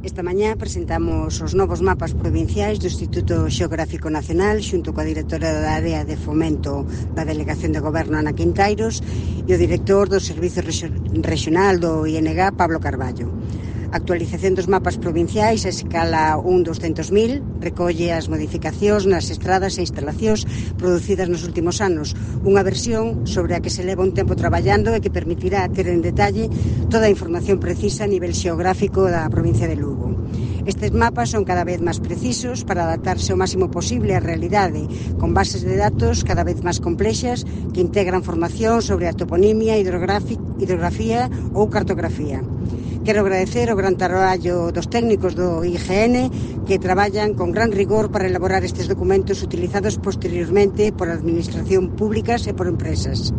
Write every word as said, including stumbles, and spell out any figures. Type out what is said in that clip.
Esta mañá presentamos os novos mapas provinciais do Instituto Xeográfico Nacional xunto coa directora da área de fomento da Delegación de Goberno, Ana Quintairos, e o director do Servizo Regional do I N G, Pablo Carballo. A actualización dos mapas provinciais a escala un doscentos mil recolle as modificacións nas estradas e instalacións producidas nos últimos anos, unha versión sobre a que se leva un tempo traballando e que permitirá ter en detalle toda a información precisa a nivel xeográfico da provincia de Lugo. Estes mapas son cada vez máis precisos para adaptarse o máximo posible á realidade, con bases de datos cada vez máis complexas que integran formación sobre a toponimia, hidrografía ou cartografía. Quero agradecer o gran traballo dos técnicos do I G N que traballan con gran rigor para elaborar estes documentos utilizados posteriormente por administración públicas e por empresas.